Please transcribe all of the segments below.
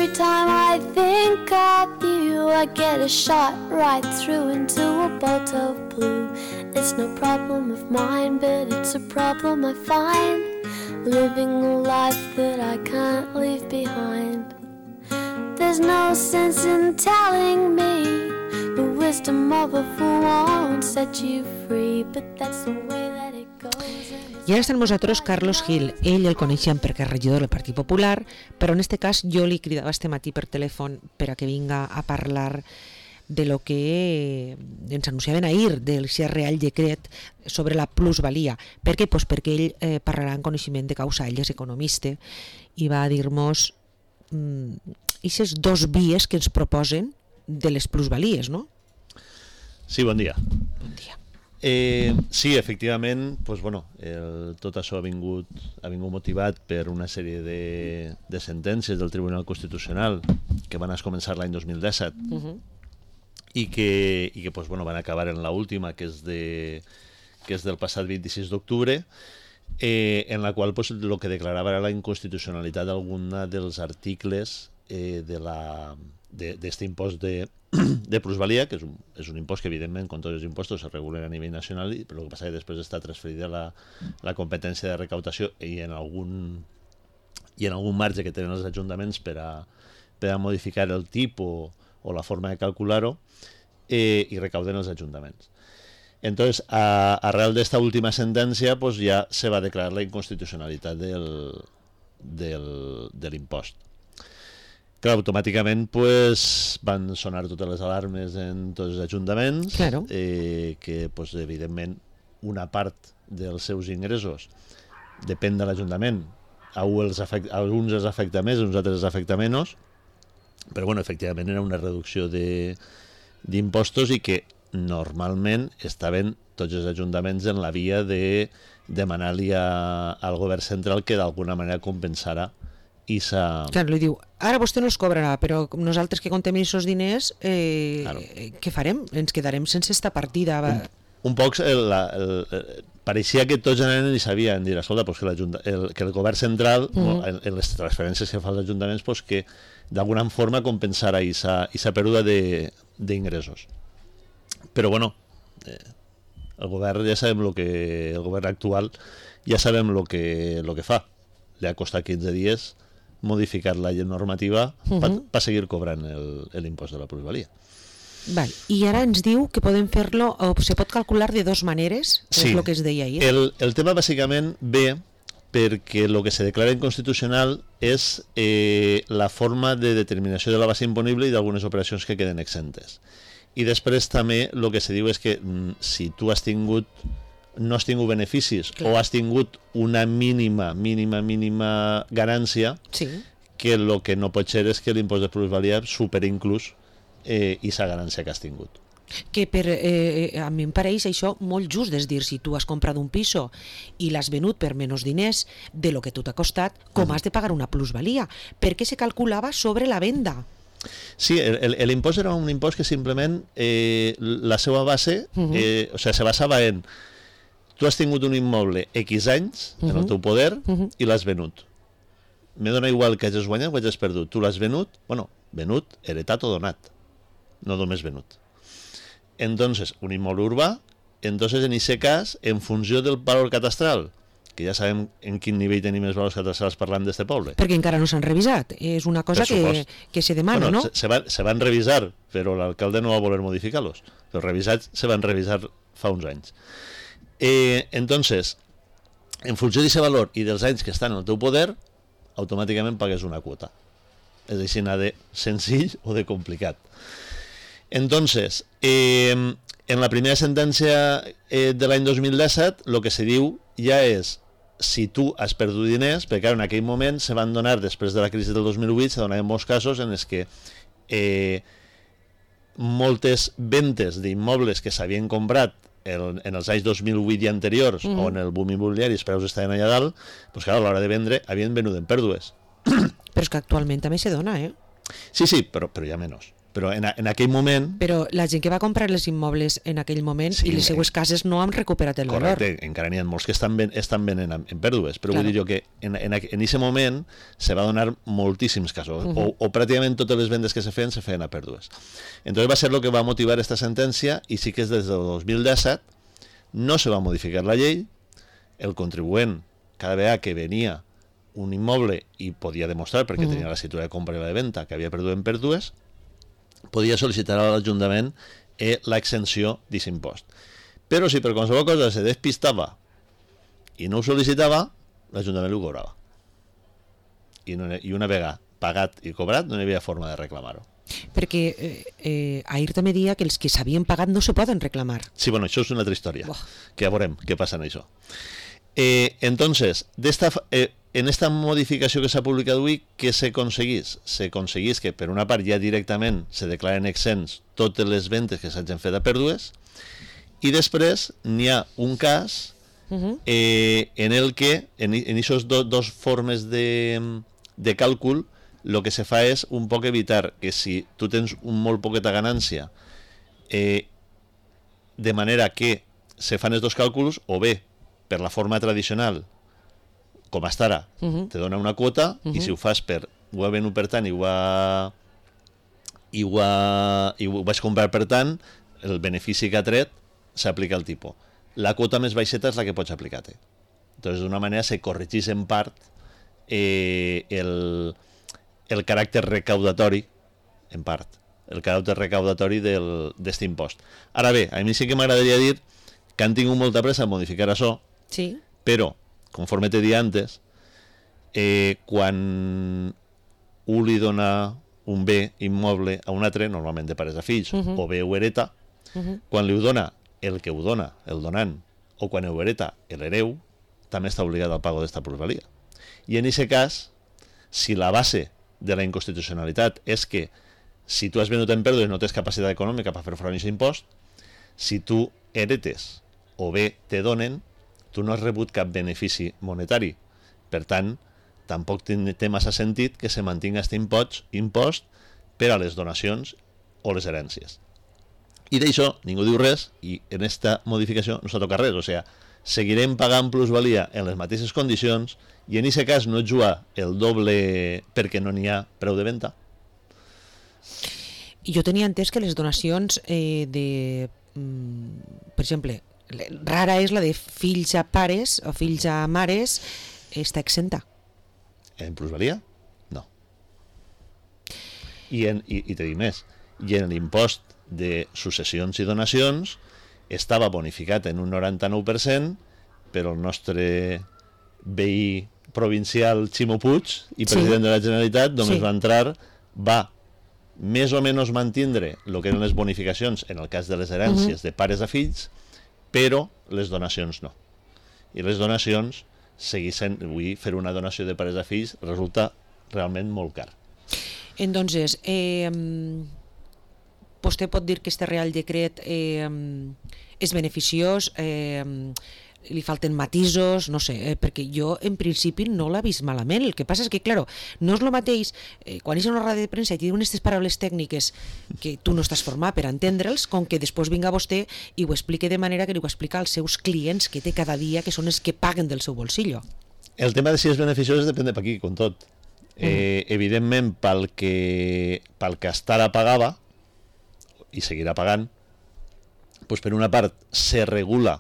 Every time I think of you, I get a shot right through into a bolt of blue. It's no problem of mine, but it's a problem I find, living a life that I can't leave behind. There's no sense in telling me the wisdom of a fool won't set you free, but that's the way that it goes. I ara està amb nosaltres Carlos Gil. Ell el coneixem perquè és regidor del Partit Popular, però en este cas jo li cridava este matí per telèfon per a que vinga a parlar de lo que ens anunciaven ahir, del Real Decret sobre la plusvalia. Per què? Pues perquè ell parlarà en coneixement de causa, ell és economista, i va dir-nos aquestes dos vies que ens proposen de les plusvalies, no? Sí, bon dia. Bon dia. Sí, efectivament, pues bueno, tot això ha vingut motivat per una sèrie de sentències del Tribunal Constitucional que van començar l'any 2017 i que pues bueno, van acabar en l'última, que és del passat 26 d'octubre, en la qual pues, lo que declarava era la inconstitucionalitat d'alguna dels articles d'este impost de plusvalia, que és un impost que evidentment com tots els impostos se regulen a nivell nacional, però el que passa és que després està transferida la competència de recaptació i en algun marge que tenen els ajuntaments per a modificar el tipus o la forma de calcular-ho, i recauden els ajuntaments. Entonces, arrel d'esta última sentència, pues ja se va declarar la inconstitucionalitat de l'impost. Clar, automàticament pues, van sonar totes les alarmes en tots els ajuntaments, claro. Que pues, evidentment una part dels seus ingressos depèn de l'Ajuntament. A alguns els afecta més, a uns altres els afecta menys, però bueno, efectivament era una reducció d'impostos i que normalment estaven tots els ajuntaments en la via de demanar-li al govern central que d'alguna manera compensara Clar, li diu, ara vostè no els cobrarà, però nosaltres que contem aquests diners, claro. Què farem? Ens quedarem sense esta partida. Un poc pareixia que tots anaven i sabien dir, escolta, pues que el govern central, en les transferències que fa als ajuntaments, pues que d'alguna forma compensara aquesta pèrdua d'ingressos. Però bueno, el govern ja sabem el govern actual ja sabem el que fa. Li ha costat 15 dies modificar la normativa per seguir cobrant l'impost de la plusvalia. Val. I ara ens diu que podem fer-lo, o se pot calcular de dues maneres, sí. És el que es deia ahir. El tema bàsicament ve perquè el que se declara inconstitucional és la forma de determinació de la base imponible i d'algunes operacions que queden exentes. I després també el que se diu és que si tu no has tingut beneficis, clar, o has tingut una mínima ganància, sí, que el que no pot ser és que l'impost de plusvalia superi inclús aquesta ganància que has tingut. Que a mi em pareix això molt just, és dir, si tu has comprat un piso i l'has venut per menys diners de lo que tu t'ha costat, com has de pagar una plusvalia? Perquè se calculava sobre la venda. Sí, l'impost era un impost que simplement la seva base, o sigui, se basava en tu has tingut un immoble X anys en el teu poder i l'has venut. Me dona igual que hagis guanyat o hagis perdut. Tu l'has venut, venut, heretat o donat, no només venut. Entonces, un immoble urbà, entonces en aquest cas, en funció del valor catastral, que ja sabem en quin nivell tenim els valors catastrals parlant d'este poble. Perquè encara no s'han revisat, és una cosa que se demana, no? Se van revisar, però l'alcalde no va voler modificar-los. Els revisats se van revisar fa uns anys. Entonces, en funció d'aquest valor i dels anys que estan en el teu poder, automàticament pagues una quota. És així, de senzill o de complicat. Entonces, en la primera sentència de l'any 2017, el que se diu ja és si tu has perdut diners, perquè en aquell moment se van donar, després de la crisi del 2008, se donaven molts casos en els que moltes ventes d'immobles que s'havien comprat en els anys 2008 i anteriors, on el boom immobiliari els preus estaven allà dalt, doncs clar, a l'hora de vendre havien venut en pèrdues. Però és que actualment també se dona, Sí, però hi ha menys. però en aquell moment... Però la gent que va comprar els immobles en aquell moment i les seues cases no han recuperat el valor. Correcte, encara n'hi ha molts que estan venent en pèrdues, però Claro. vull dir jo que en aquest moment se va donar moltíssims casos, o pràcticament totes les vendes que se feien a pèrdues. Entonces va ser el que va motivar esta sentència, i sí que és des del 2017 no se va modificar la llei, el contribuent cada vegada que venia un immoble i podia demostrar, perquè tenia la escritura de compra i la de venda, que havia perdut en pèrdues, podia sol·licitar a l'Ajuntament l'exempció d'aquest impost. Però si per qualsevol cosa se despistava i no ho sol·licitava, l'Ajuntament ho cobrava. I una vegada pagat i cobrat no hi havia forma de reclamar-ho. Perquè ahir també deia que els que s'havien pagat no se poden reclamar. Sí, bueno, això és una altra història, Buah. que ja veurem què passa en això. Entonces, en esta modificació que s'ha publicat avui, què s'aconseguís? S'aconseguís que, per una part, ja directament se declaren exents totes les ventes que s'hagin fet a pèrdues, i després n'hi ha un cas en el que, en aquestes dos formes de càlcul, el que se fa és un poc evitar que si tu tens un molt poqueta ganància, de manera que se fan els dos càlculs, o bé per la forma tradicional, com hasta ara, te dona una quota, i si ho fas per ho ha venut per tant i ho vaig comprar per tant, el benefici que ha tret s'aplica al tipus. La quota més baixeta és la que pots aplicar-te. Entonces, d'una manera se corregeix en part el caràcter recaudatori, en part, el caràcter recaudatori d'aquest impost. Ara bé, a mi sí que m'agradaria dir que han tingut molta pressa a modificar això, Sí. però, conforme te dia antes, quan un li dona un bé immoble a un altre, normalment de pares a fills, o bé ho hereta, quan li ho dona el que ho dona, el donant, o quan ho hereta l'hereu, també està obligat al pago d'esta plusvalia. I en aquest cas, si la base de la inconstitucionalitat és que si tu has venut en pèrdues i no tens capacitat econòmica per fer front a aquest impost, si tu heretes o bé te donen, tu no has rebut cap benefici monetari. Per tant, tampoc té massa sentit que se mantinga aquest impost per a les donacions o les herències. I d'això ningú diu res, i en aquesta modificació no s'ha tocat res. O sigui, seguirem pagant plusvalia en les mateixes condicions, i en aquest cas no jugar el doble perquè no n'hi ha preu de venda. I jo tenia entès que les donacions per exemple, rara és la de fills a pares o fills a mares, està exenta. En plusvalia? No. I te dic més, i en l'impost de successions i donacions estava bonificat en un 99%, però el nostre veí provincial Ximo Puig i president de la Generalitat només va més o menys mantindre el que eren les bonificacions en el cas de les herències de pares a fills, però les donacions no. I les donacions segueixen, avui fer una donació de pares a fills resulta realment molt car. Entonces, vostè pot dir que este Real Decret és beneficiós, li falten matisos, no sé, perquè jo en principi no l'ha vist malament. El que passa és que, claro, no és el mateix quan és una roda de premsa i te diuen aquestes paraules tècniques que tu no estàs format per entendre'ls, com que després vinga vostè i ho explique de manera que li ho explica als seus clients que té cada dia, que són els que paguen del seu bolsillo. El tema de si és beneficiós depèn de per aquí, com tot. Evidentment, pel que hasta ara pagava, i seguirà pagant, doncs per una part se regula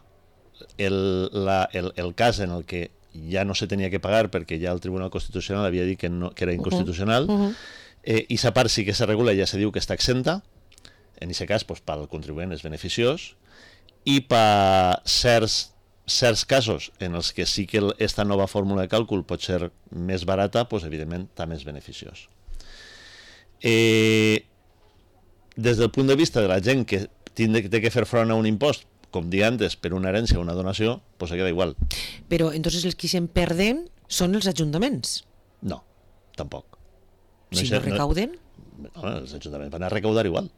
el cas en el que ja no se tenia que pagar perquè ja el Tribunal Constitucional havia dit que era inconstitucional, i aquesta part sí que se regula, ja se diu que està exenta. En aquest cas, doncs, pel contribuent és beneficiós, i per certs casos en els que sí que aquesta nova fórmula de càlcul pot ser més barata, doncs, evidentment també és beneficiós. Des del punt de vista de la gent que té que fer front a un impost, com dir antes, per una herència o una donació, doncs queda igual. Però entonces els que se'n perden són els ajuntaments. No, tampoc. Si no recauden? No, els ajuntaments van a recaudar igual.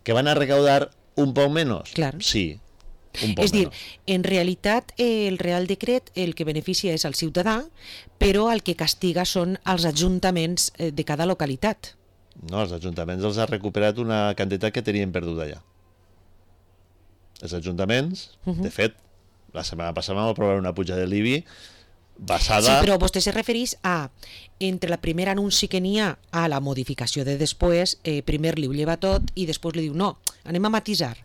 Que van a recaudar un poc menys? Claro. Sí, un poc És dir, menys. en realitat el Real Decret el que beneficia és al ciutadà, però el que castiga són els ajuntaments de cada localitat. No, els ajuntaments els ha recuperat una quantitat que tenien perduda ja. Els ajuntaments, de fet, la setmana passada vam aprovar una puja de l'IBI basada... Sí, però vostè se referís a, entre la primer anunci que n'hi ha a la modificació de després, primer li ho lleva tot i després li diu no, anem a matisar,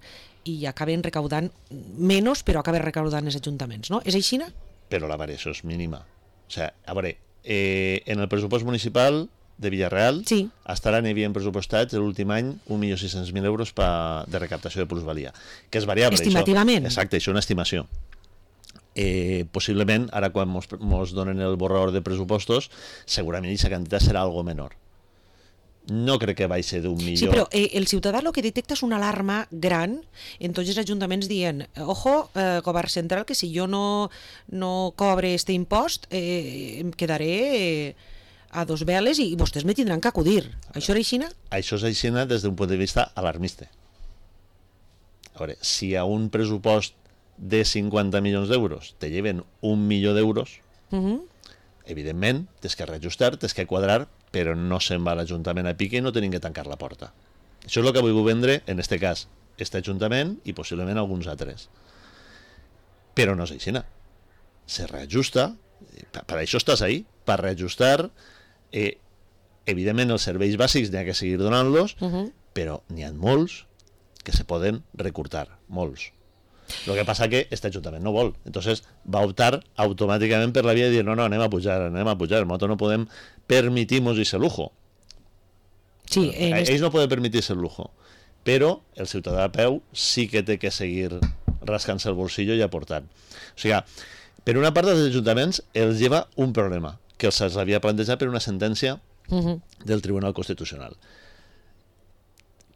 i acaben recaudant menys, però acaben recaudant els ajuntaments, no? És així? Però la variació és mínima. O sigui, a veure, en el pressupost municipal de Villarreal sí. estaran i havien pressupostats l'últim any 1.600.000 euros de recaptació de plusvalia, que és variable. Estimativament. Això. Exacte, això és una estimació. Possiblement, ara quan mos donen el borrador de pressupostos, segurament aquesta quantitat serà algo menor. No crec que vagi ser d'1 milió. Sí, però el ciutadà el que detecta és una alarma gran en tots els ajuntaments dient ojo, govern central, que si jo no cobre este impost em quedaré a dos veles i vostès me tindran que acudir. Això és així? Això és així des d'un punt de vista alarmista. A veure, si a un pressupost de 50 milions d'euros te lleven 1 milió d'euros, evidentment, tens que reajustar, tens que quadrar, però no se'n va l'Ajuntament a pique i no tenim que tancar la porta. Això és el que vull vendre, en este cas, este Ajuntament i possiblement alguns altres. Però no és així. Se reajusta, per això estàs ahí, per reajustar, evidentment els serveis bàsics n'hi ha que seguir donant-los, però n'hi ha molts que se poden recortar, molts. El que passa que este Ajuntament no vol, entonces va optar automàticament per la via de dir no, anem a pujar, nosaltres no podem permitir-nos ese lujo. Sí, ells no poden permitir-se el lujo, però el ciutadà a peu sí que té que seguir rascant-se el bolsillo i aportant. O sigui, per una part dels ajuntaments els lleva un problema que se'ls havia plantejat per una sentència del Tribunal Constitucional.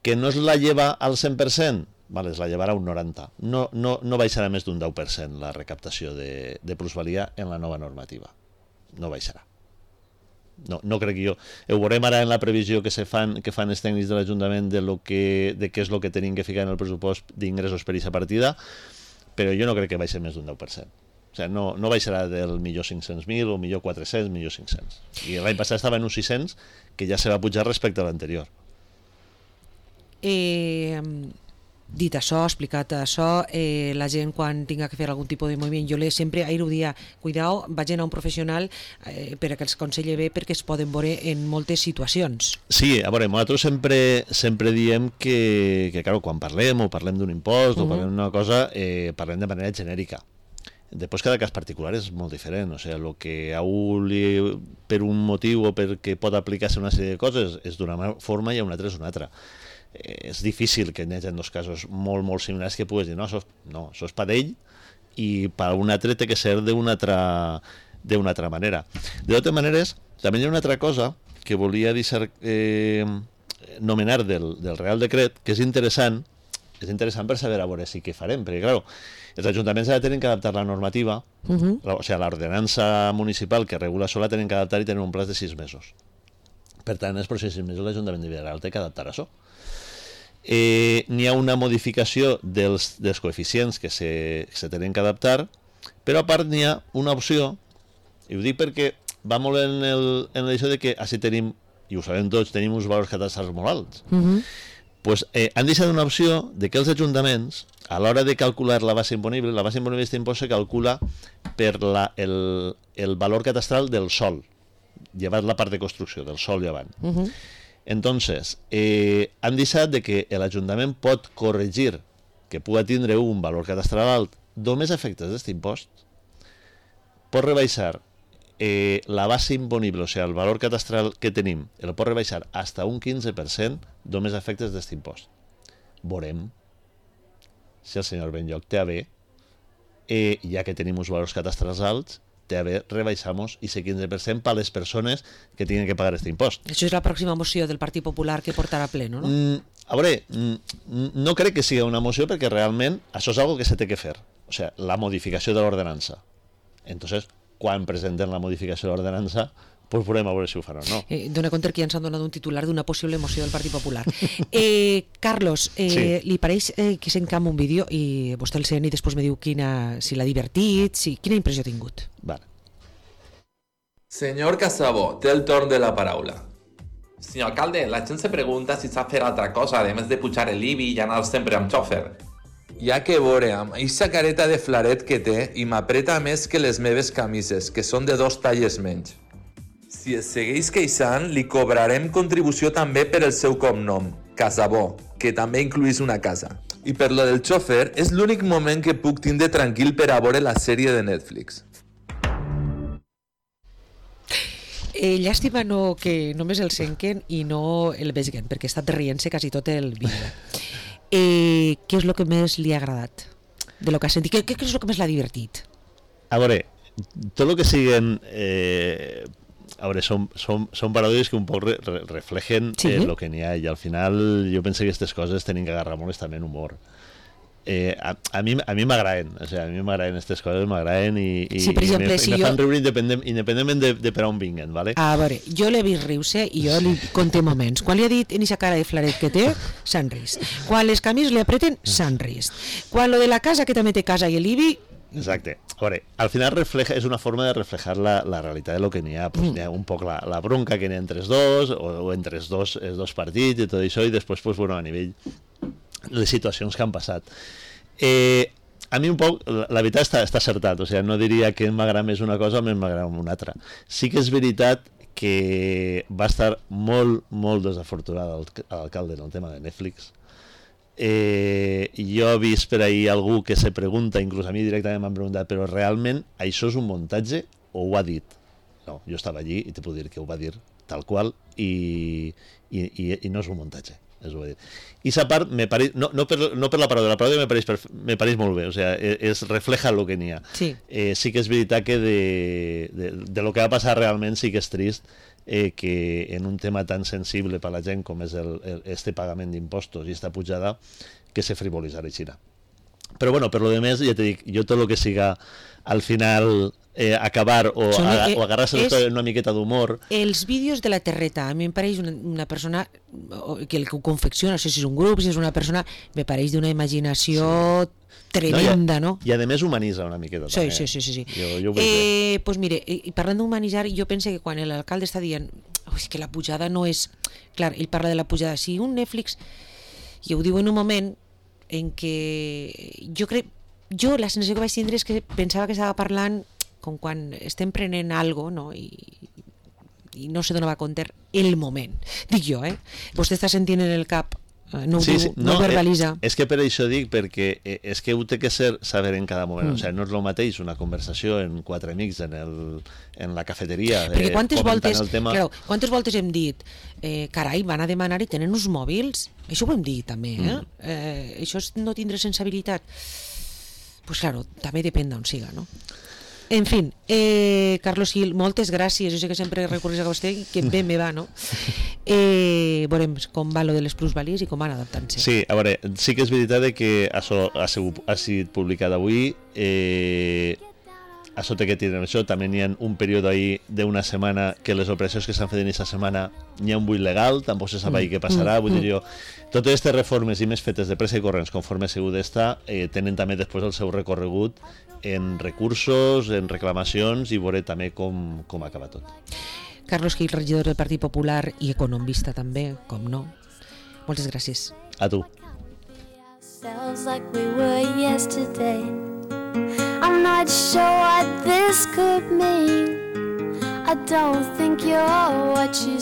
Que no es la lleva al 100%, vale, es la llevarà un 90%. No baixarà més d'un 10% la recaptació de plusvalia en la nova normativa. No baixarà. No crec jo. Ho veurem ara en la previsió que fan els tècnics de l'Ajuntament de què és el que tenim que ficar en el pressupost d'ingressos per aquesta partida, però jo no crec que baixi més d'un 10%. O sigui, no baixarà del millor 500.000 o millor 400, millor 500. I l'any passat estava en uns 600, que ja se va pujar respecte a l'anterior. Dit això, explicat això, la gent quan tinga que fer algun tipus de moviment, jo sempre ahir ho dia, cuidao, vagin a un professional perquè els aconselli bé, perquè es poden veure en moltes situacions. Sí, a veure, nosaltres sempre diem que claro, quan parlem d'un impost o parlem d'una cosa, parlem de manera genèrica. Després cada cas particular és molt diferent, o sigui, el que a un per un motiu o perquè pot aplicar-se una sèrie de coses és d'una forma i a un altre és una altra. És difícil que hi hagi dos casos molt similars que puguis dir, això és per ell i per un altre té que ser d'una altra manera. De totes maneres, també hi ha una altra cosa que volia nomenar del Real Decret, que és interessant per saber a veure si què farem, perquè, clar, els ajuntaments ara tenen que adaptar la normativa, o sigui, l'ordenança municipal que regula això la tenen que adaptar i tenen un plaç de 6 mesos. Per tant, els pròxims 6 mesos l'Ajuntament de Villarreal té que adaptar això. N'hi ha una modificació dels coeficients que se tenen que adaptar, però a part n'hi ha una opció, i ho dic perquè va molt en l'això de que així tenim, i ho sabem tots, tenim uns valors catastrals molt alts. Pues, han deixat una opció de que els ajuntaments, a l'hora de calcular la base imponible d'aquest impost se calcula per el valor catastral del sòl, llevat la part de construcció, del sòl llevant. Entonces, han deixat de que l'Ajuntament pot corregir que pugui tindre un valor catastral alt només a efectes d'aquest impost, pot rebaixar la base imponible, o sigui, el valor catastral que tenim, el pot rebaixar fins a un 15% només a efectes d'aquest impost. Veurem si el senyor Benlloch té a bé, ja que tenim uns valors catastrals alts, té a bé rebaixar-nos i ser 15% per a les persones que tenen que pagar aquest impost. Això és la pròxima moció del Partit Popular que portarà pleno, no? A veure, no crec que sigui una moció perquè realment això és una cosa que se té que fer, o sigui, la modificació de l'ordenança. Entonces, quan presenten la modificació de l'ordenança, pues veurem a veure si ho faran o no. Dóna compte que ja ens han donat un titular d'una possible moció del Partit Popular. Carlos, sí. Li pareix que s'encam un vídeo i vostè el sent i després me diu si l'ha divertit, quina impressió ha tingut. Vale. Senyor Casabó, té el torn de la paraula. Senyor alcalde, la gent se pregunta si sap fer altra cosa, además de pujar el IBI i anar sempre amb xòfer. Ja que veure, amb eixa careta de flaret que té i m'apreta més que les meves camises, que són de 2 talles menys. Si es segueix queixant, li cobrarem contribució també per el seu cognom, Casabó, que també incluís una casa. I per lo del xòfer, és l'únic moment que puc tindre tranquil per a veure la sèrie de Netflix. Llàstima que només el senquen i no el veguen, perquè ha estat rient-se quasi tot el vídeo. Què és el que més li ha agradat de lo que ha sentit? Què és el que més l'ha divertit? A veure, tot el que siguen... a veure, són paròdies que un poc reflejen el que n'hi ha, i al final jo penso que aquestes coses tenen que agarrar molt també en humor. A mi m'agraden, o sigui, a mi m'agraden aquestes coses, m'agraden i per exemple, me fan riure independentment de per on vinguen, ¿vale? A veure, jo l'he vist riure i jo li conté moments. Quan li ha dit en aquesta cara de flaret que té, s'han rist. Quan les camises li apreten, s'han rist. Quan lo de la casa, que també té casa i l'IBI... Exacte. A veure, al final és una forma de reflejar la realitat de lo que n'hi ha. Pues, n'hi ha un poc la bronca que n'hi ha entre els dos, o entre els dos partits i tot això, i després, pues, bueno, a nivell les situacions que han passat. A mi un poc, la veritat està acertat, o sigui, no diria que m'agrada més una cosa o més m'agrada una altra. Sí que és veritat que va estar molt, molt desafortunat l'alcalde en el tema de Netflix. Jo he vist per ahir algú que se pregunta, inclús a mi directament m'han preguntat, però realment això és un muntatge o ho ha dit? No, jo estava allí i te puc dir que ho va dir tal qual i no és un muntatge. I esa part me pareix, no per la paròdia me pareix molt bé, o sigui, refleja el que n'hi ha. Sí. Sí que és veritat que de lo que va passar realment sí que és trist, que en un tema tan sensible per a la gent com és este pagament d'impostos i esta pujada, que se frivolitzarà així. Però bueno, per lo demés, ja te dic, jo tot el que siga al final acabar o agarrar-se una miqueta d'humor. Els vídeos de la Terreta, a mi em pareix una persona que el que ho confecciona, no sé si és un grup, si és una persona, me pareix d'una imaginació tremenda, no? I a més humanitza una miqueta. Sí. Jo ho veig bé. Pues mire, i parlant d'humanitzar, jo penso que quan l'alcalde està dient és que la pujada no és... Clar, ell parla de la pujada. Si un Netflix, i ho diu en un moment en què jo la sensació que vaig tindre és que pensava que estava parlant com quan estem prenent algo, no? I no se donava compte el moment. Dic jo, Vostè està sentint en el cap, no ho diu, no verbalitza. És que per això dic, perquè és que ho té que saber en cada moment. O sigui, no és el mateix una conversació en 4 amics en la cafeteria. Perquè quantes voltes hem dit carai, van a demanar i tenen uns mòbils? Això ho hem dit també, això és no tindre sensibilitat. Pues claro, també depèn d'on siga, no? En fin, Carlos Gil, moltes gràcies. Jo sé que sempre recorres a vostè, que ben me va, no? Veurem com va lo de les plusvalies i com van adaptant-se. Sí, a veure, sí que és veritat que això ha sigut publicat avui. Això té que tindre això. També n'hi ha un període ahí d'una setmana que les operacions que s'han fet en aquesta setmana n'hi ha un buit legal, tampoc se sap ahí què passarà. Vull dir jo, totes aquestes reformes i més fetes de pressa i corrents conforme ha sigut d'esta tenen també després el seu recorregut en recursos, en reclamacions i veure també com acaba tot. Carlos Gil, regidor del Partit Popular i economista també, com no. Moltes gràcies. A tu. I'm not sure what this could mean. I don't think you're what you